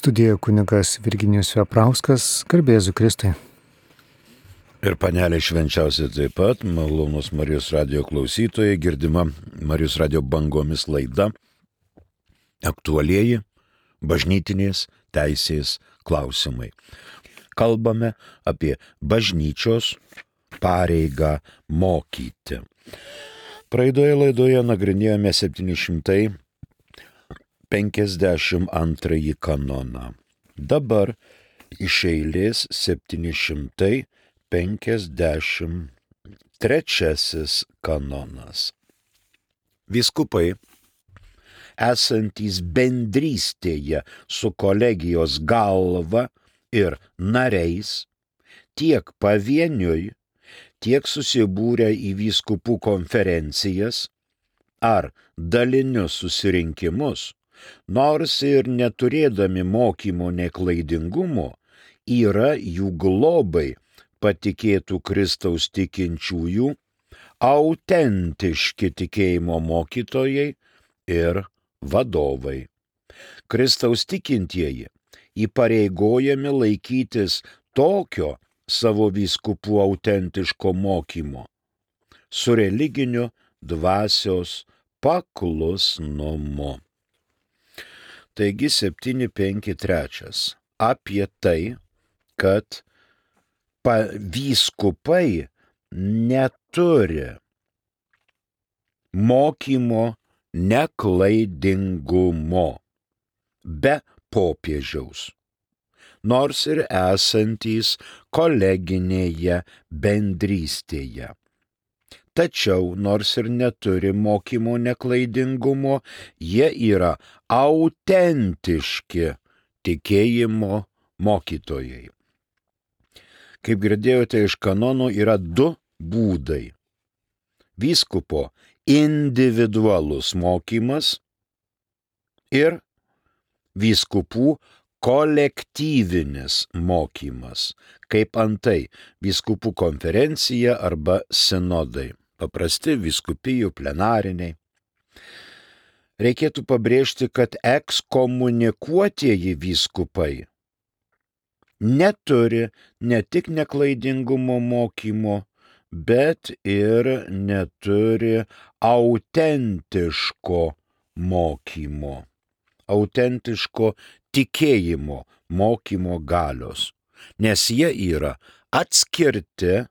Studijoje kunigas Virginijus Veprauskas, garbėzu Kristui. Ir panelė švenčiausia taip pat, malonus Marijos radio klausytojai, girdima Marijos radio bangomis laida, aktualieji bažnytinės teisės klausimai. Kalbame apie bažnyčios pareigą mokyti. Praeidoje laidoje nagrinėjome 752 kanoną. Dabar iš eilės 753 kanonas. Vyskupai, esantys bendrystėje su kolegijos galva ir nariais, tiek pavieniui, tiek susibūrę į vyskupų konferencijas ar dalinius susirinkimus, nors ir neturėdami mokymo neklaidingumo, yra jų globai patikėtų Kristaus tikinčiųjų, autentiški tikėjimo mokytojai ir vadovai. Kristaus tikintieji įpareigojami laikytis tokio savo vyskupų autentiško mokymo su religiniu dvasios paklusnumu. Taigi 753 apie tai, kad vyskupai neturi mokymo neklaidingumo be popiežiaus, nors ir esantys koleginėje bendrystėje. Tačiau, nors ir neturi mokymo neklaidingumo, jie yra autentiški tikėjimo mokytojai. Kaip girdėjote iš kanonų, yra du būdai. Vyskupo individualus mokymas ir vyskupų kolektyvinis mokymas, kaip antai vyskupų konferencija arba sinodai, paprasti vyskupijų plenariniai. Reikėtų pabrėžti, kad ekskomunikuotieji vyskupai neturi ne tik neklaidingumo mokymo, bet ir neturi autentiško mokymo, autentiško tikėjimo mokymo galios, nes jie yra atskirti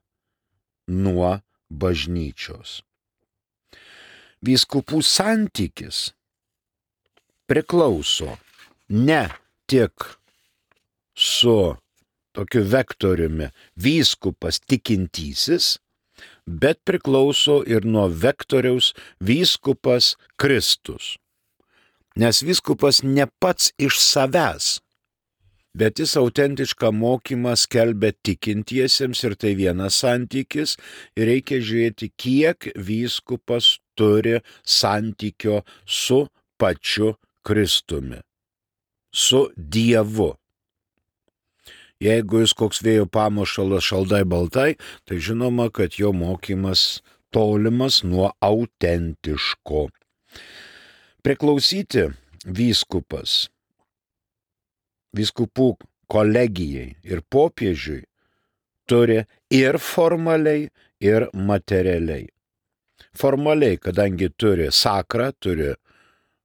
nuo bažnyčios. Vyskupų santykis priklauso ne tik su tokiu vektoriumi vyskupas tikintysis, bet priklauso ir nuo vektoriaus vyskupas Kristus. Nes vyskupas ne pats iš savęs, bet jis autentišką mokymą skelbia tikintiesiems ir tai vienas santykis. Ir reikia žiūrėti, kiek vyskupas turi santykio su pačiu Kristumi, su Dievu. Jeigu jis koks vėjo pamušalas šaldai baltai, tai žinoma, kad jo mokymas tolimas nuo autentiško. Priklausyti vyskupas, vyskupų kolegijai ir popiežiui turi ir formaliai, ir materialiai. Formaliai, kadangi turi sakrą, turi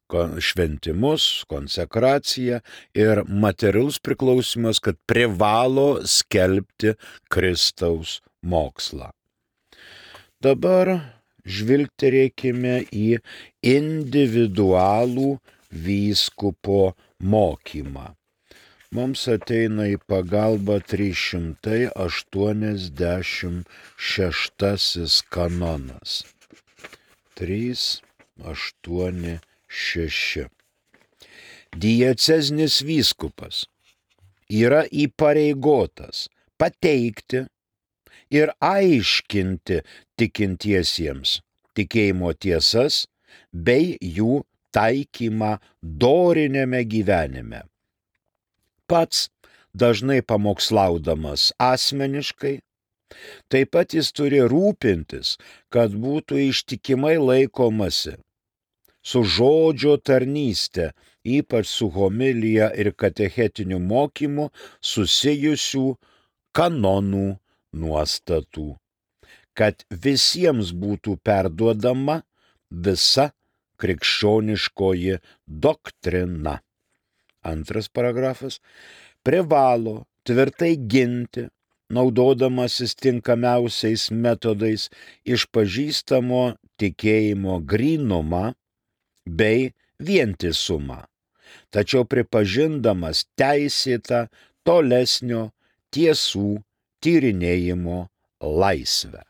šventimus, konsekraciją, ir materialus priklausimas, kad privalo skelbti Kristaus mokslą. Dabar žvilgterėkime į individualų vyskupo mokymą. Mums ateina į pagalbą 386 kanonas. 386. Dieceznis vyskupas yra įpareigotas pateikti ir aiškinti tikintiesiems tikėjimo tiesas bei jų taikymą doriniame gyvenime. Pats dažnai pamokslaudamas asmeniškai, taip pat jis turi rūpintis, kad būtų ištikimai laikomasi su žodžio tarnyste ypač su homilija ir katechetiniu mokymu susijusių kanonų nuostatų, kad visiems būtų perduodama visa krikščioniškoji doktrina. Antras paragrafas. Privalo tvirtai ginti, naudodamasis tinkamiausiais metodais, išpažįstamo tikėjimo grynumą bei vientisumą, tačiau pripažindamas teisėtą tolesnio tiesų tyrinėjimo laisvę.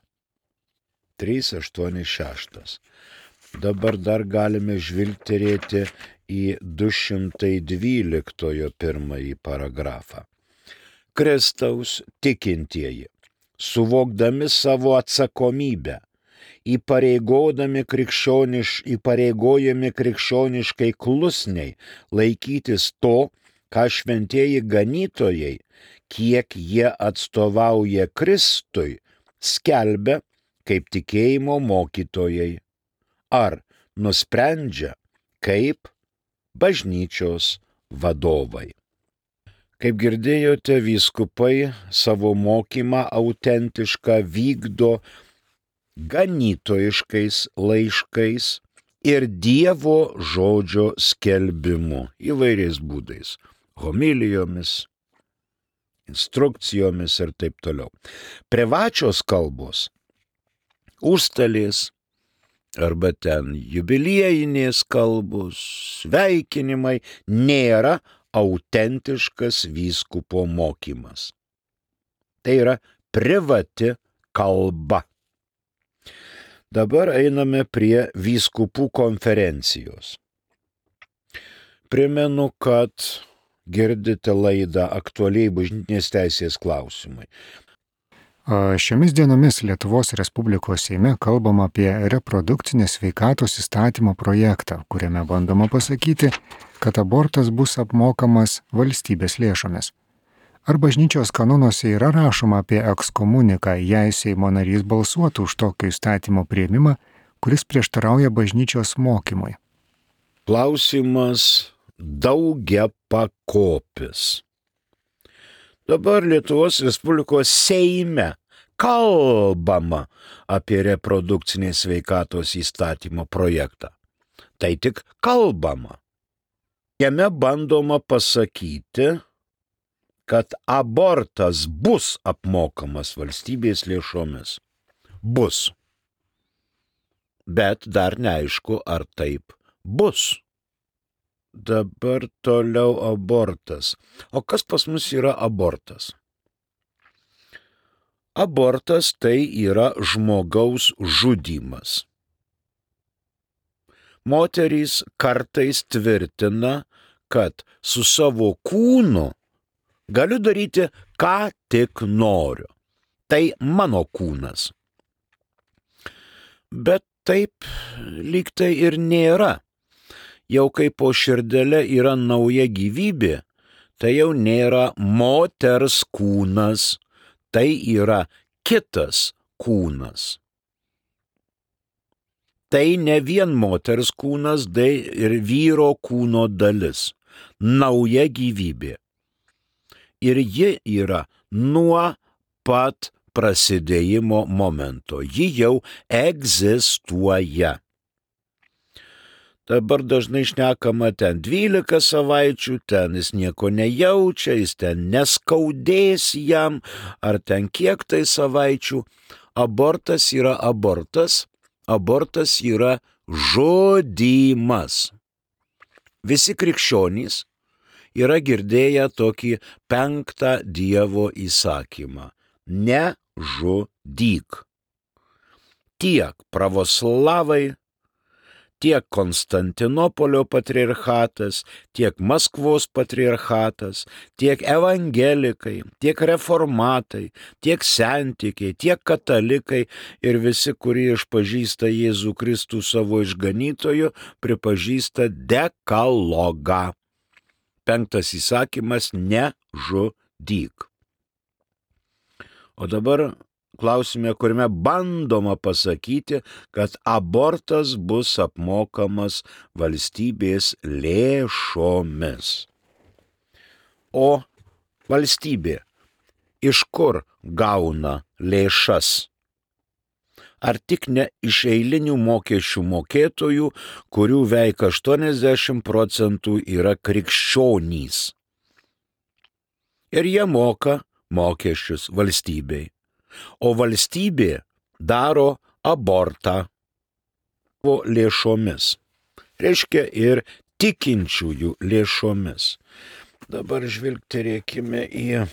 386. Dabar dar galime žvilgterėti į 212 pirmąjį paragrafą. Kristaus tikintieji, suvokdami savo atsakomybę, įpareigojami krikščioniškai klusniai laikytis to, ką šventieji ganytojai, kiek jie atstovauja Kristui, skelbia kaip tikėjimo mokytojai, ar nusprendžia kaip bažnyčios vadovai. Kaip girdėjote, vyskupai savo mokymą autentišką vykdo ganytojiškais laiškais ir Dievo žodžio skelbimu įvairiais būdais, homilijomis, instrukcijomis ir taip toliau. Privačios kalbos, užstalės arba ten jubiliejinės kalbos, sveikinimai nėra autentiškas vyskupo mokymas. Tai yra privati kalba. Dabar einame prie vyskupų konferencijos. Primenu, kad girdite laidą aktualiai bažnytinės teisės klausimai. Šiomis dienomis Lietuvos Respublikos Seime kalbama apie reprodukcinės sveikatos įstatymo projektą, kuriame bandoma pasakyti, kad abortas bus apmokamas valstybės lėšomis. Ar bažnyčios kanonuose yra rašoma apie ekskomuniką, jei Seimo narys balsuotų už tokio įstatymo priėmimą, kuris prieštarauja bažnyčios mokymui? Klausimas daugiapakopis. Dabar Lietuvos Respublikos Seime kalbama apie reprodukcinės sveikatos įstatymo projektą. Tai tik kalbama. Jame bandoma pasakyti, kad abortas bus apmokamas valstybės lėšomis. Bus. Bet dar neaišku, ar taip bus. Dabar toliau abortas. O kas pas mus yra abortas? Abortas tai yra žmogaus žudymas. Moterys kartais tvirtina, kad su savo kūnu galiu daryti, ką tik noriu. Tai mano kūnas. Bet taip lyg tai ir nėra. Jau kai po širdele yra nauja gyvybė, tai jau nėra moters kūnas, tai yra kitas kūnas. Tai ne vien moters kūnas, tai ir vyro kūno dalis, nauja gyvybė. Ir ji yra nuo pat prasidėjimo momento, ji jau egzistuoja. Dabar dažnai šnekama ten 12 savaičių, ten jis nieko nejaučia, jis ten neskaudės jam, ar ten kiek tai savaičių. Abortas yra abortas, abortas yra žudymas. Visi krikščionys yra girdėję tokį 5 Dievo įsakymą – nežudyk. Tiek pravoslavai, tiek Konstantinopolio patriarchatas, tiek Maskvos patriarchatas, tiek evangelikai, tiek reformatai, tiek sentikiai, tiek katalikai ir visi, kurie išpažįsta Jėzų Kristų savo išganytoju, pripažįsta dekalogą. 5 įsakymas – nežudyk. O dabar klausime, kuriame bandoma pasakyti, kad abortas bus apmokamas valstybės lėšomis. O valstybė iš kur gauna lėšas? Ar tik ne iš eilinių mokesčių mokėtojų, kurių veik 80% yra krikščionys. Ir jie moka mokesčius valstybei. O valstybė daro abortą lėšomis. Reiškia ir tikinčiųjų lėšomis. Dabar žvilgterėkime į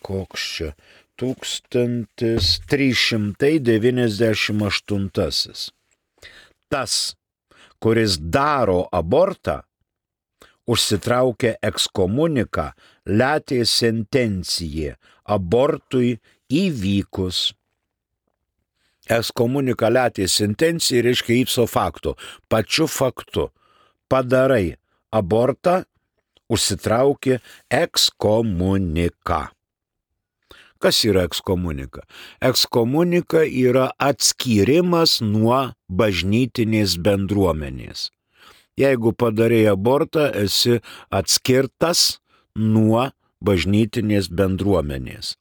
koks čia 1398. Tas, kuris daro abortą, užsitraukia ekskomuniką letė sentencija abortui įvykus. Ekskomunika letė sentencija reiškia ipso facto, pačiu faktu. Padarai abortą, užsitraukia ekskomuniką. Kas yra ekskomunika? Ekskomunika yra atskyrimas nuo bažnytinės bendruomenės. Jeigu padarai abortą, esi atskirtas nuo bažnytinės bendruomenės.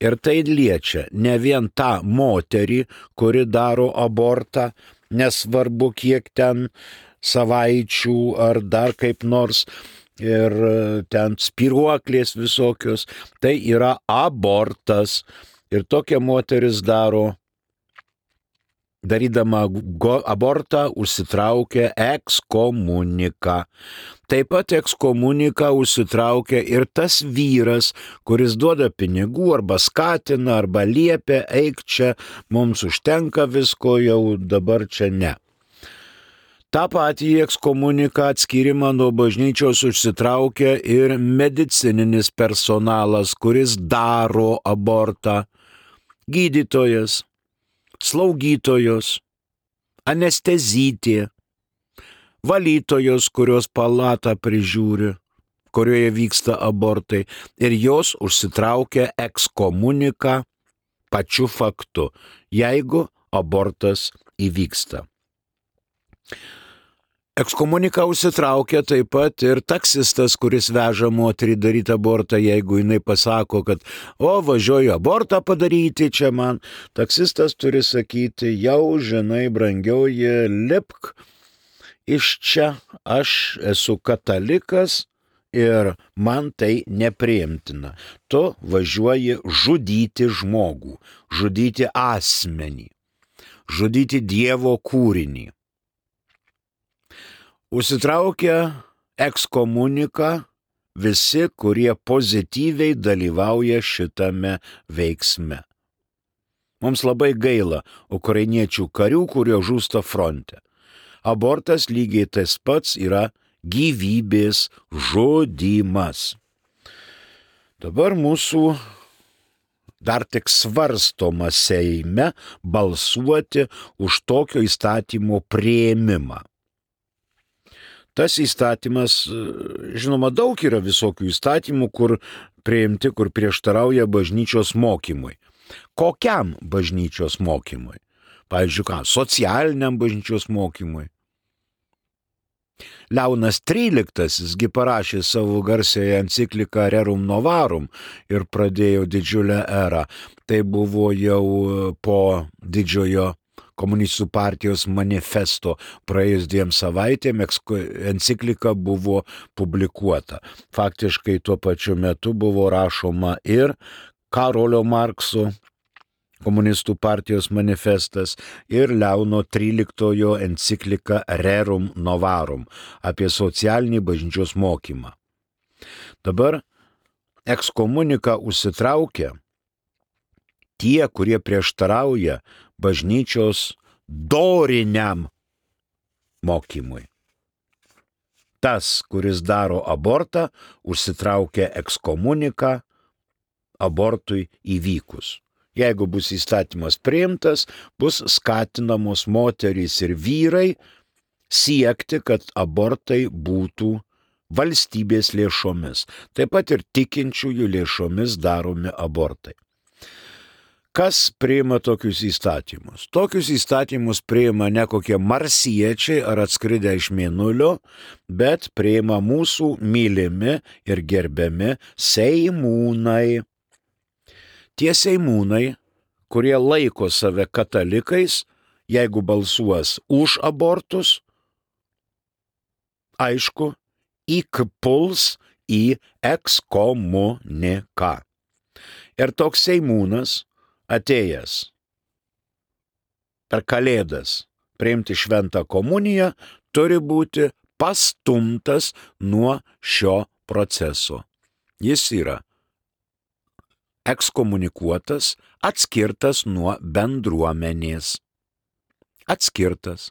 Ir tai liečia ne vien tą moterį, kuri daro abortą, nesvarbu kiek ten savaičių ar dar kaip nors, ir ten spiruoklės visokios, tai yra abortas. Ir tokia moteris darydama abortą užsitraukia ekskomuniką. Taip pat ekskomuniką užsitraukia ir tas vyras, kuris duoda pinigų arba skatina, arba liepia, eik čia, mums užtenka visko, jau dabar čia ne. Ta patį ekskomuniką atskyrimą nuo bažnyčios užsitraukia ir medicininis personalas, kuris daro abortą. Gydytojas, slaugytojos, anestezytė, valytojos, kurios palatą prižiūri, kurioje vyksta abortai, ir jos užsitraukia ekskomuniką pačiu faktu, jeigu abortas įvyksta. Ekskomuniką užsitraukia taip pat ir taksistas, kuris veža moterį daryti abortą, jeigu jinai pasako, kad važiuoju abortą padaryti čia man. Taksistas turi sakyti, jau žinai, brangioji, lipk iš čia, aš esu katalikas ir man tai nepriimtina. Tu važiuoji žudyti žmogų, žudyti asmenį, žudyti Dievo kūrinį. Užsitraukia ekskomuniką visi, kurie pozityviai dalyvauja šitame veiksme. Mums labai gaila ukrainiečių karių, kurie žūsta fronte. Abortas lygiai tas pats yra gyvybės žudymas. Dabar mūsų dar tik svarstoma Seime balsuoti už tokio įstatymo priėmimą. Tas įstatymas, žinoma, daug yra visokių įstatymų, kur priimti, kur prieštarauja bažnyčios mokymui. Kokiam bažnyčios mokymui? Pavyzdžiui, socialiniam bažnyčios mokymui. Leonas XIII parašė savo garsiąją encikliką Rerum Novarum ir pradėjo didžiulę erą. Tai buvo jau po didžiojo komunistų partijos manifesto praėjus 2 savaitėm enciklika buvo publikuota. Faktiškai tuo pačiu metu buvo rašoma ir Karolio Markso komunistų partijos manifestas ir Leono XIII enciklika Rerum Novarum apie socialinį bažnyčios mokymą. Dabar ekskomuniką užsitraukia tie, kurie prieštarauja bažnyčios doriniam mokymui. Tas, kuris daro abortą, užsitraukia ekskomuniką abortui įvykus. Jeigu bus įstatymas priimtas, bus skatinamos moterys ir vyrai siekti, kad abortai būtų valstybės lėšomis. Taip pat ir tikinčiųjų lėšomis daromi abortai. Kas priima tokius įstatymus? Tokius įstatymus priima ne kokie marsiečiai ar atskridę iš mėnulio, bet priima mūsų mylimi ir gerbiami seimūnai. Tie seimūnai, kurie laiko save katalikais, jeigu balsuos už abortus, aišku, įpuls į ekskomuniką. Ir toks seimūnas, atėjęs per Kalėdas priimti šventą komuniją, turi būti pastumtas nuo šio proceso. Jis yra ekskomunikuotas, atskirtas nuo bendruomenės. Atskirtas.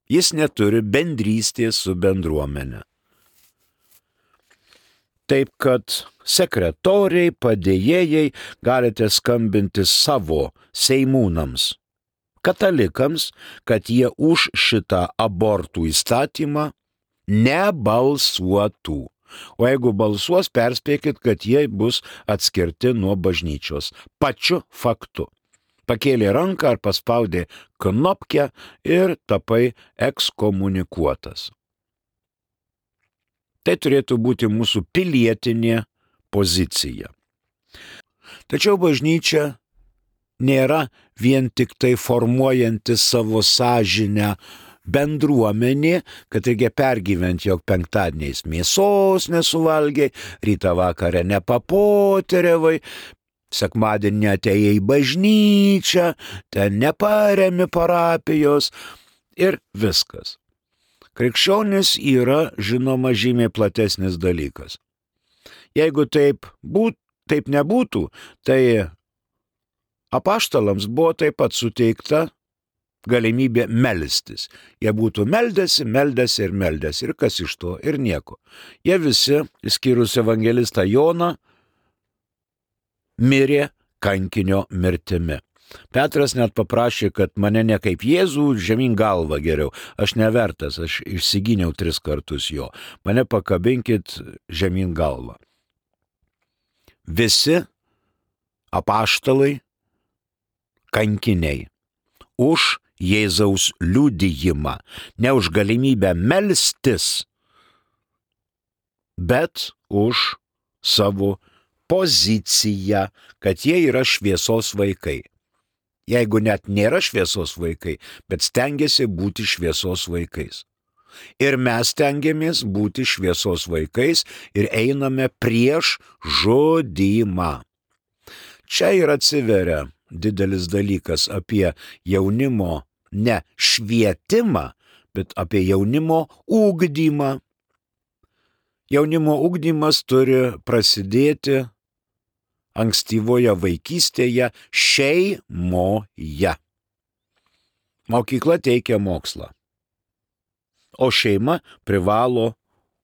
Jis neturi bendrystės su bendruomenė. Taip kad sekretoriai, padėjėjai galite skambinti savo seimūnams, katalikams, kad jie už šitą abortų įstatymą nebalsuotų. O jeigu balsuos, perspėkit, kad jie bus atskirti nuo bažnyčios. Pačiu faktu. Pakėlė ranką ar paspaudė knopkę ir tapai ekskomunikuotas. Tai turėtų būti mūsų pilietinė pozicija. Tačiau bažnyčia nėra vien tik tai formuojanti savo sąžinę bendruomenė, kad reikia pergyventi, jog penktadieniais mėsos nesuvalgiai, rytą vakarę nepapoteriavai, sekmadienį atėjai į bažnyčią, ten neparemi parapijos ir viskas. Krikščionis yra, žinoma, žymiai platesnis dalykas. Jeigu taip nebūtų, tai apaštalams buvo taip pat suteikta galimybė melstis. Jie būtų meldėsi ir kas iš to, ir nieko. Jie visi, išskyrus evangelistą Joną, mirė kankinio mirtimi. Petras net paprašė, kad mane ne kaip Jėzų, žemyn galvą geriau. Aš nevertas, aš išsigyniau 3 kartus jo. Mane pakabinkit žemyn galvą. Visi apaštalai kankiniai už Jėzaus liudijimą, ne už galimybę melstis, bet už savo poziciją, kad jie yra šviesos vaikai. Jeigu net nėra šviesos vaikai, bet stengiasi būti šviesos vaikais. Ir mes stengiamės būti šviesos vaikais ir einame prieš žudymą. Čia ir atsiveria didelis dalykas apie jaunimo ne švietimą, bet apie jaunimo ugdymą. Jaunimo ugdymas turi prasidėti ankstyvoje vaikystėje šeimoje. Mokykla teikia mokslą, o šeima privalo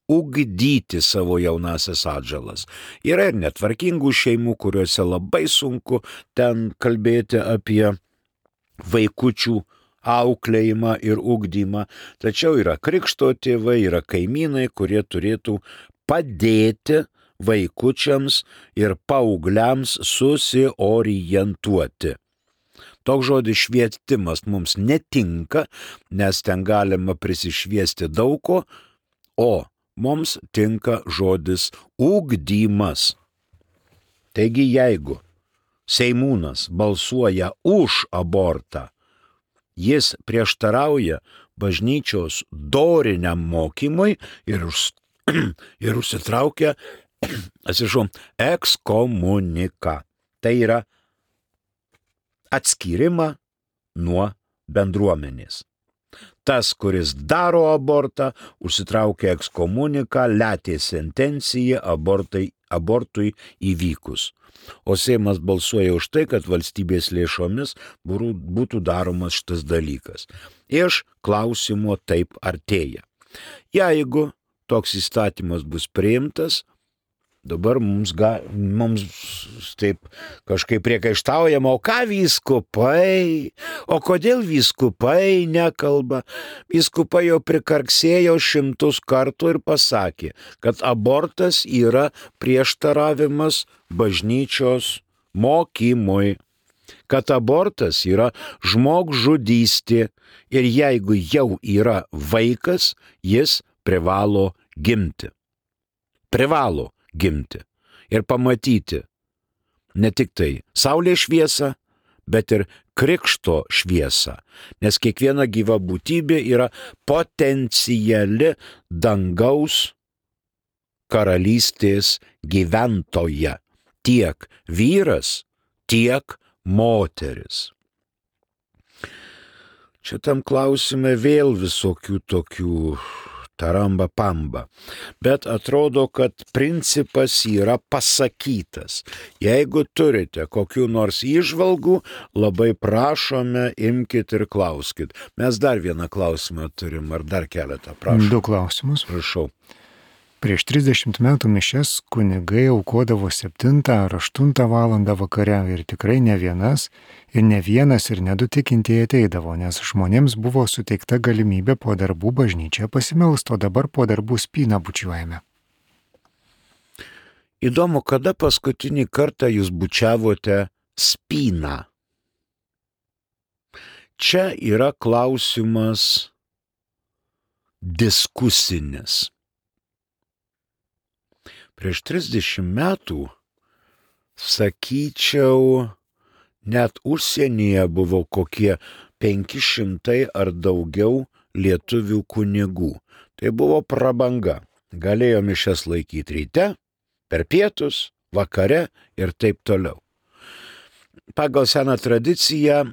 ugdyti savo jaunasias atžalas. Yra ir netvarkingų šeimų, kuriuose labai sunku ten kalbėti apie vaikučių auklėjimą ir ugdymą, tačiau yra krikšto tėvai, yra kaimynai, kurie turėtų padėti vaikučiams ir paaugliams susiorientuoti. Toks žodis švietimas mums netinka, nes ten galima prisišviesti daug ko, o mums tinka žodis ugdymas. Taigi jeigu seimūnas balsuoja už abortą, jis prieštarauja bažnyčios doriniam mokymui ir užsitraukia ekskomuniką. Tai yra atskyrimą nuo bendruomenės. Tas, kuris daro abortą, užsitraukia ekskomuniką, letė sentenciją abortui įvykus. O Seimas balsuoja už tai, kad valstybės lėšomis būtų daromas šitas dalykas. Iš klausimo taip artėja. Jeigu toks įstatymas bus priimtas, dabar mums taip kažkaip priekaištaujama, o ką vyskupai, o kodėl vyskupai nekalba? Vyskupai jau prikarksėjo 100 kartų ir pasakė, kad abortas yra prieštaravimas bažnyčios mokymui, kad abortas yra žmogžudystė ir jeigu jau yra vaikas, jis privalo gimti. Privalo gimti ir pamatyti ne tik tai saulės šviesą, bet ir krikšto šviesą, nes kiekviena gyva būtybė yra potenciali dangaus karalystės gyventoja, tiek vyras, tiek moteris. Čia tam klausime vėl visokių tokių taramba pamba, bet atrodo, kad principas yra pasakytas. Jeigu turite kokių nors įžvalgų, labai prašome, imkit ir klauskit. Mes dar vieną klausimą turim, ar dar keletą, prašom. 2 klausimus. Prašau. Prieš 30 metų mišias kunigai aukodavo 7 ar 8 valandą vakare ir tikrai ne vienas ir ne 2 tikintieji ateidavo, nes žmonėms buvo suteikta galimybė po darbų bažnyčioje pasimelsti, o dabar po darbų spyną bučiuojame. Įdomu, kada paskutinį kartą jūs bučiavote spyną? Čia yra klausimas diskusinis. Prieš 30 metų, sakyčiau, net užsienyje buvo kokie 500 ar daugiau lietuvių kunigų. Tai buvo prabanga. Galėjo mišias laikyti ryte, per pietus, vakare ir taip toliau. Pagal seną tradiciją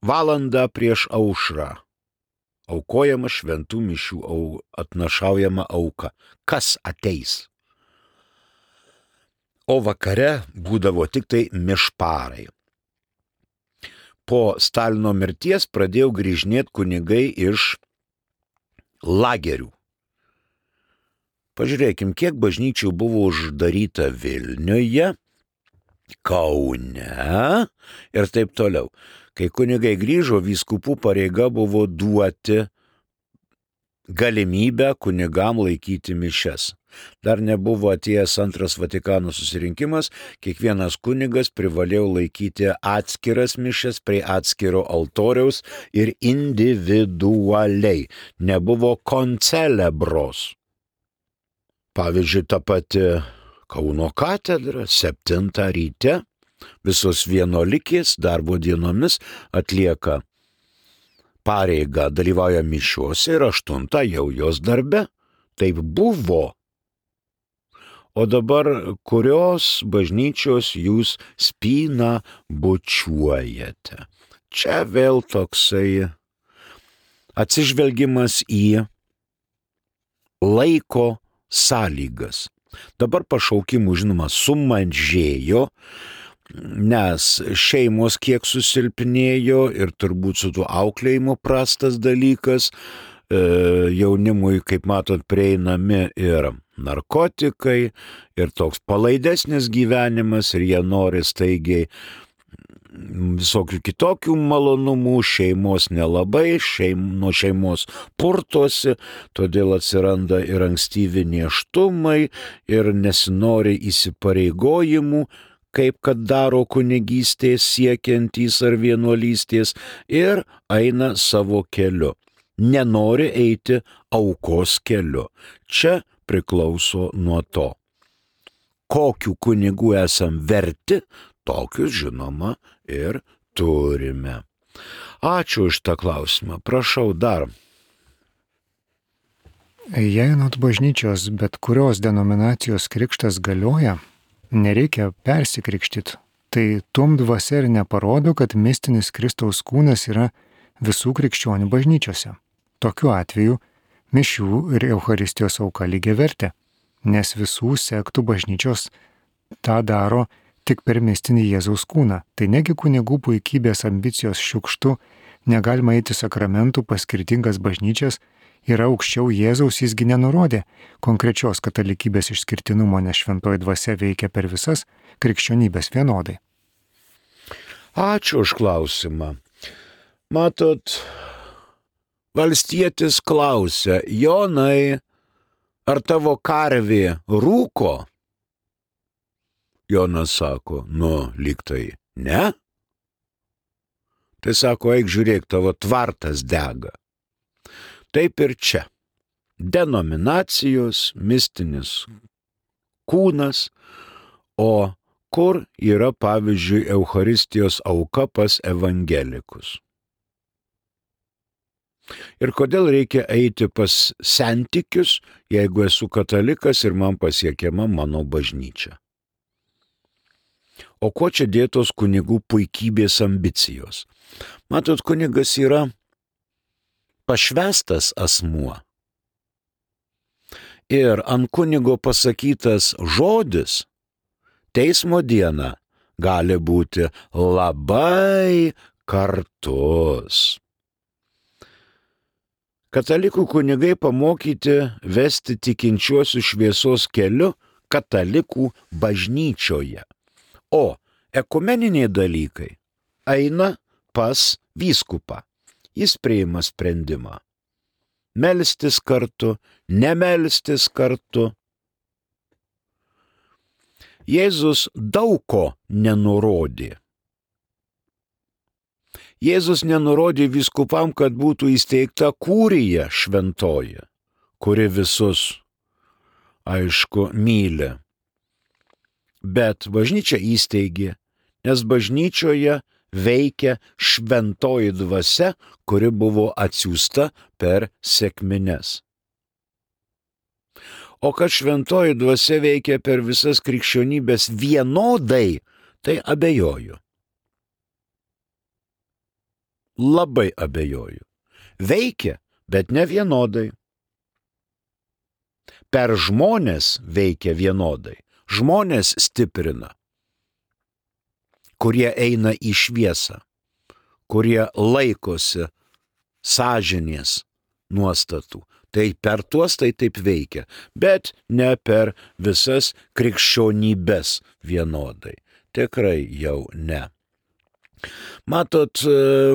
valandą prieš aušrą aukojama šventų mišių atnašaujama auka. Kas ateis? O vakare būdavo tik tai mišparai. Po Stalino mirties pradėjo grįžinėti kunigai iš lagerių. Pažiūrėkim, kiek bažnyčių buvo uždaryta Vilniuje, Kaune ir taip toliau. Kai kunigai grįžo, vyskupų pareiga buvo duoti galimybę kunigam laikyti mišias. Dar nebuvo atėjęs antras Vatikano susirinkimas, kiekvienas kunigas privalėjo laikyti atskiras mišias prie atskiro altoriaus ir individualiai. Nebuvo koncelebros. Pavyzdžiui, ta pati Kauno katedra 7 ryte. Visos vienolikės darbo dienomis atlieka pareigą, dalyvauja mišiuose ir 8 jau jos darbe. Taip buvo. O dabar kurios bažnyčios jūs spyną bučiuojate? Čia vėl toksai atsižvelgimas į laiko sąlygas. Dabar pašaukimų, žinoma, sumažėjo, nes šeimos kiek susilpnėjo ir turbūt su tuo auklėjimu prastas dalykas, jaunimui, kaip matot, prieinami ir narkotikai, ir toks palaidesnis gyvenimas, ir jie nori staigiai visokių kitokių malonumų, šeimos nelabai, nuo šeimos purtosi, todėl atsiranda ir ankstyvi nėštumai, ir nesinori įsipareigojimų, kaip kad daro kunigystės siekiantys ar vienuolystės, ir eina savo keliu. Nenori eiti aukos keliu. Čia priklauso nuo to. Kokių kunigų esam verti, tokius, žinoma, ir turime. Ačiū už tą klausimą. Prašau dar. Jei anot bažnyčios bet kurios denominacijos krikštas galioja, nereikia persikrikštyti. Tai tuom dvasia ir neparodo, kad mistinis Kristaus kūnas yra visų krikščionių bažnyčiose. Tokiu atveju mišių ir Eucharistijos auka lygiavertė, nes visų sektų bažnyčios tą daro tik per mistinį Jėzaus kūną. Tai negi kunigų puikybės ambicijos šiukštu, negalima eiti sakramentų pas skirtingas bažnyčias, yra aukščiau Jėzaus, jisgi nenurodė konkrečios katalikybės išskirtinumo, nes šventoji dvasia veikia per visas krikščionybės vienodai. Ačiū už klausimą. Matot, valstietis klausia: Jonai, ar tavo karvė rūko? Jonas sako, lyg tai ne. Tai sako, eik žiūrėk, tavo tvartas dega. Taip ir čia. Denominacijos, mistinis kūnas, o kur yra, pavyzdžiui, Eucharistijos auka pas evangelikus. Ir kodėl reikia eiti pas sentikius, jeigu esu katalikas ir man pasiekiama mano bažnyčia? O ko čia dėtos kunigų puikybės ambicijos? Matot, kunigas yra pašvęstas asmuo. Ir ant kunigo pasakytas žodis teismo dieną gali būti labai kartus. Katalikų kunigai pamokyti vesti tikinčiuosius šviesos keliu katalikų bažnyčioje. O ekumeniniai dalykai eina pas vyskupą. Jis priima sprendimą. Melstis kartu, nemelstis kartu. Jėzus daug ko nenurodė. Jėzus nenurodė vyskupam, kad būtų įsteigta kurija šventoji, kuri visus, aišku, myli. Bet bažnyčia įsteigė, nes bažnyčioje veikia šventoji dvasia, kuri buvo atsiųsta per sekmines. O kad šventoji dvasia veikia per visas krikščionybės vienodai, tai abejoju. Labai abejoju. Veikia, bet ne vienodai. Per žmonės veikia vienodai. Žmonės stiprina, kurie eina į šviesą, kurie laikosi sąžinės nuostatų. Tai per tuos tai taip veikia, bet ne per visas krikščionybės vienodai. Tikrai jau ne. Matot,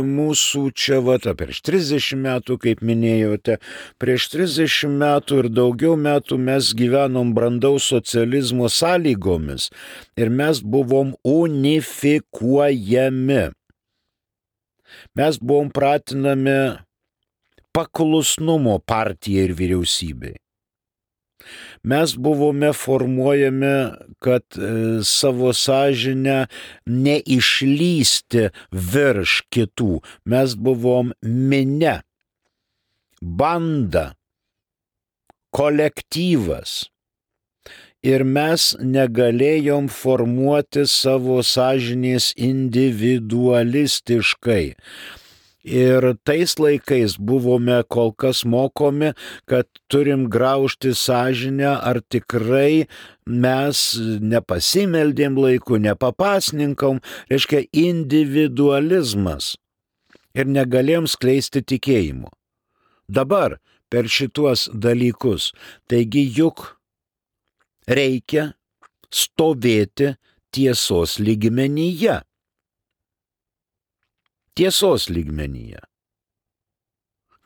mūsų čia prieš 30 metų, kaip minėjote, prieš 30 metų ir daugiau metų mes gyvenom brandaus socializmo sąlygomis ir mes buvom unifikuojami. Mes buvom pratinami paklusnumo partijai ir vyriausybei. Mes buvome formuojami, kad savo sąžinę neišlysti virš kitų. Mes buvom minia, banda, kolektyvas. Ir mes negalėjom formuoti savo sąžinės individualistiškai. Ir tais laikais buvome kol kas mokomi, kad turim graužti sąžinę, ar tikrai mes nepasimeldėm laiku, nepapasninkom, reiškia individualizmas. Ir negalėjom skleisti tikėjimo. Dabar per šituos dalykus, taigi juk reikia stovėti tiesos lygmenyje. Tiesos lygmenyje.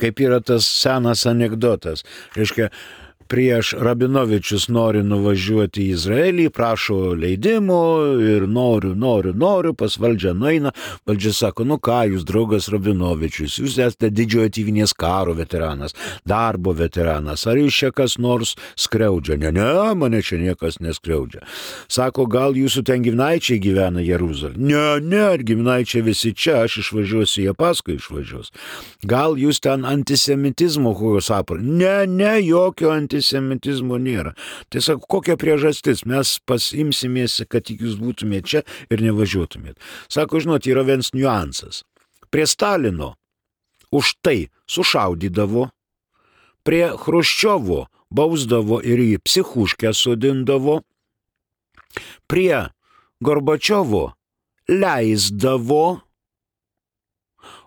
Kaip yra tas senas anekdotas. Reiškia, prieš Rabinovičius nori nuvažiuoti į Izraelį, prašo leidimo ir noriu, pas valdžią nueina. Valdžia sako, ką jūs, draugas Rabinovičius, jūs esate didžiojo tėvynės karo veteranas, darbo veteranas, ar jūs čia kas nors skriaudžia? Ne, mane čia niekas neskriaudžia. Sako, gal jūsų ten giminaičiai gyvena Jeruzalėje? Ne, giminaičiai visi čia, aš išvažiuosiu, jie paskui išvažiuos. Gal jūs ten antisemitizmo kokios apar? Ne, jokio antisemitizmo nėra. Tai sako, kokia priežastis? Mes pasimsimės, kad tik jūs būtumėte čia ir nevažiuotumėte. Sako, žinot, yra vienas niuansas. Prie Stalino už tai sušaudydavo, prie Chruščiovo bausdavo ir į psichuškę sodindavo, prie Gorbačiovo leisdavo,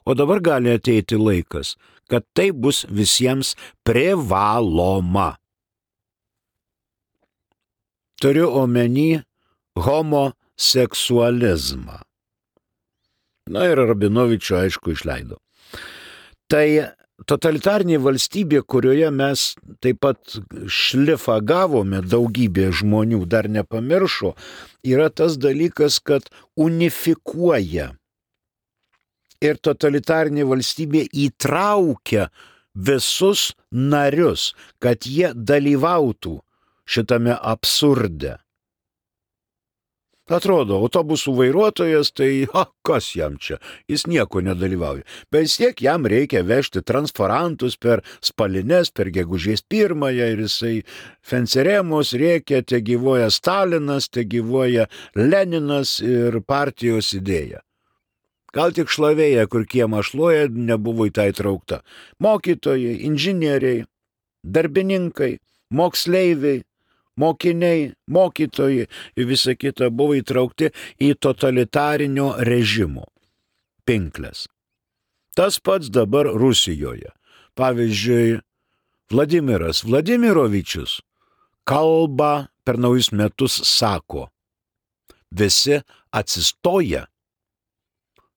o dabar gali ateiti laikas, kad tai bus visiems privaloma. Turiu omeny homoseksualizmą. Ir Rabinovičių, aišku, išleido. Tai Totalitarinė valstybė, kurioje mes taip pat šlifą gavome, daugybė žmonių dar nepamiršo, yra tas dalykas, kad unifikuoja. Ir totalitarinė valstybė įtraukia visus narius, kad jie dalyvautų šitame absurde. Atrodo, autobusų vairuotojas, tai kas jam čia, jis nieko nedalyvauja. Bet vis tiek jam reikia vežti transparantus per Spalines, per Gegužės 1 ir jisai fenceremos rėkia, te gyvoja Stalinas, te gyvoja Leninas ir partijos idėja. Gal tik šlavėja, kur kiemą šluoja, nebuvo į tai traukta. Mokytojai, inžinieriai, darbininkai, moksleiviai, mokiniai, mokytojai ir visa kita buvo įtraukti į totalitarinio režimo pinkles. Tas pats dabar Rusijoje. Pavyzdžiui, Vladimiras Vladimirovičius kalba per naujus metus sako, visi atsistoja,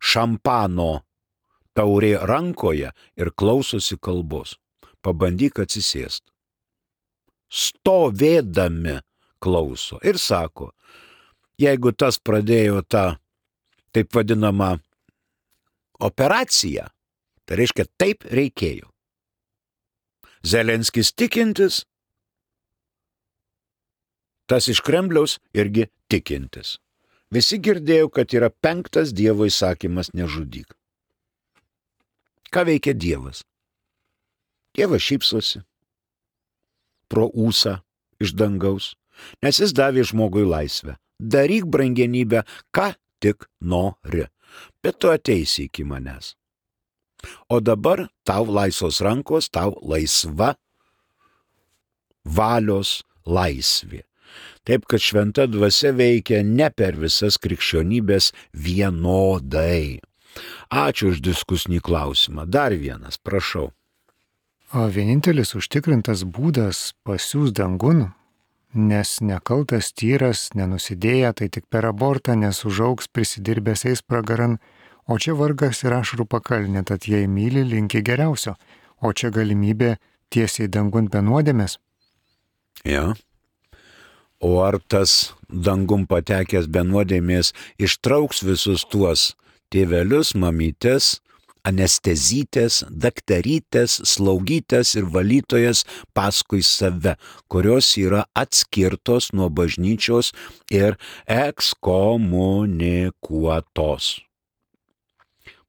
šampano taurė rankoje ir klausosi kalbos. Pabandyk atsisėsti. Stovėdami klauso ir sako, jeigu tas pradėjo tą taip vadinamą operaciją, tai reiškia taip reikėjo. Zelenskis tikintis, tas iš Kremliaus irgi tikintis. Visi girdėjo, kad yra 5 Dievo įsakymas nežudyk. Ką veikia Dievas? Dievas šypsosi pro ūsą iš dangaus, nes jis davė žmogui laisvę. Daryk brangenybę, ką tik nori, bet tu ateisi iki manęs. O dabar tau laisvos rankos, tau laisva valios laisvė. Taip, kad šventa dvasia veikia ne per visas krikščionybės vienodai. Ačiū už diskusinį klausimą. Dar vienas, prašau. O vienintelis užtikrintas būdas pasiųs dangun, nes nekaltas tyras nenusidėja, tai tik per abortą, nes užaugs prisidirbęs eis pragaran, o čia vargas ir ašarų pakalnė, tad jei myli, linki geriausio, o čia galimybė tiesiai dangun be nuodėmės. Ja. O ar tas dangun patekęs be nuodėmės ištrauks visus tuos tėvelius, mamytes, anestezytės, daktarytės, slaugytės ir valytojas paskui save, kurios yra atskirtos nuo bažnyčios ir ekskomunikuotos.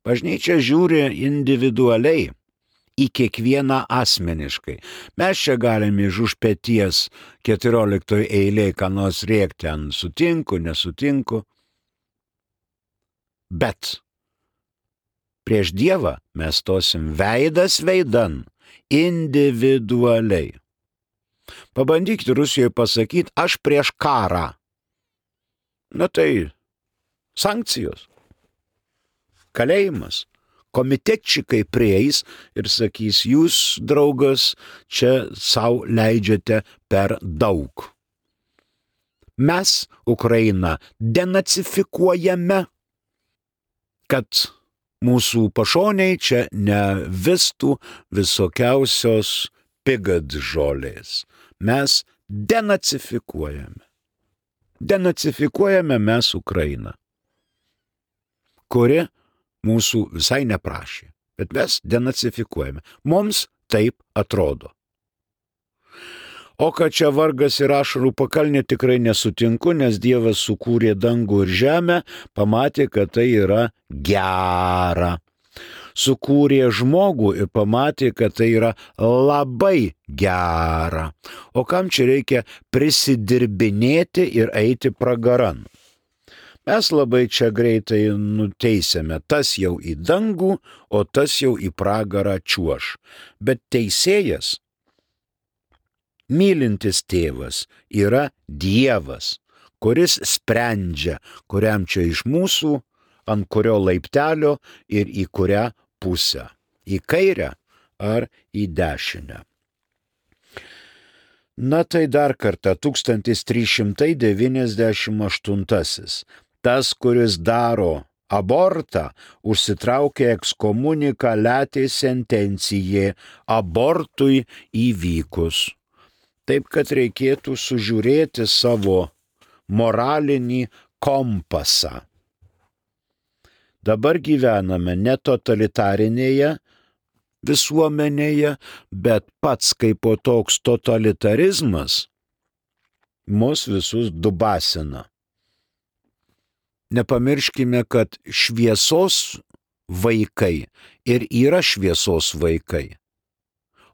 Bažnyčia žiūri individualiai į kiekvieną asmeniškai. Mes čia galime iš už peties 14 eilėje ką nors rėkti, ant sutinku, nesutinku. Bet prieš Dievą mes stosim veidas veidan, individualiai. Pabandykite Rusijoje pasakyti, aš prieš karą. Na tai sankcijos, kalėjimas. Komitečikai prieis ir sakys, jūs, draugas, čia savo leidžiate per daug. Mes Ukrainą denacifikuojame, kad mūsų pašoniai čia nevistų visokiausios pigadžolės. Mes denacifikuojame. Denacifikuojame mes Ukrainą, kuri mūsų visai neprašė, bet mes denacifikuojame. Mums taip atrodo. O kad čia vargas ir ašarų pakalnė, tikrai nesutinku, nes Dievas sukūrė dangų ir žemę, pamatė, kad tai yra gera. Sukūrė žmogų ir pamatė, kad tai yra labai gera. O kam čia reikia prisidirbinėti ir eiti pragaran? Mes labai čia greitai nuteisėme, tas jau į dangų, o tas jau į pragarą čiuoš. Bet teisėjas, mylintis tėvas, yra Dievas, kuris sprendžia, kuriam čia iš mūsų, ant kurio laiptelio ir į kurią pusę. Į kairę ar į dešinę. Na tai dar kartą 1398. Tas, kuris daro abortą užsitraukė ekskomunika letė sentencijė abortui įvykus. Taip, kad reikėtų sužiūrėti savo moralinį kompasą. Dabar gyvename ne totalitarinėje visuomenėje, bet pats kaip toks totalitarizmas mus visus dubasina. Nepamirškime, kad šviesos vaikai ir yra šviesos vaikai,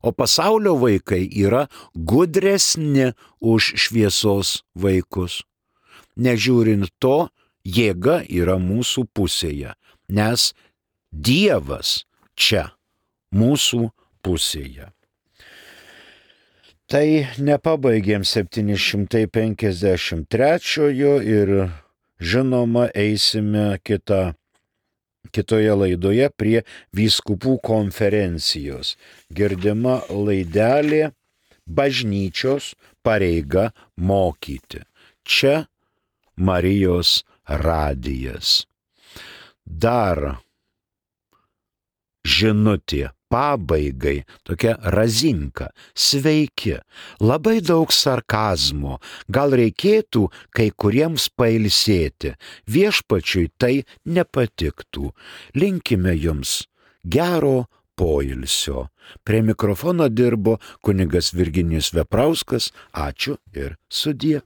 o pasaulio vaikai yra gudresni už šviesos vaikus. Nežiūrint to, jėga yra mūsų pusėje, nes Dievas čia mūsų pusėje. Tai nepabaigėm 753 ir žinoma eisime kitoje laidoje prie vyskupų konferencijos. Girdima laidelė bažnyčios pareiga mokyti. Čia Marijos radijas. Dar žinutė pabaigai, tokia razinka. Sveiki, labai daug sarkazmo, gal reikėtų kai kuriems pailsėti, viešpačiui tai nepatiktų. Linkime jums gero poilsio. Prie mikrofono dirbo kunigas Virginijus Veprauskas, ačiū ir sudie.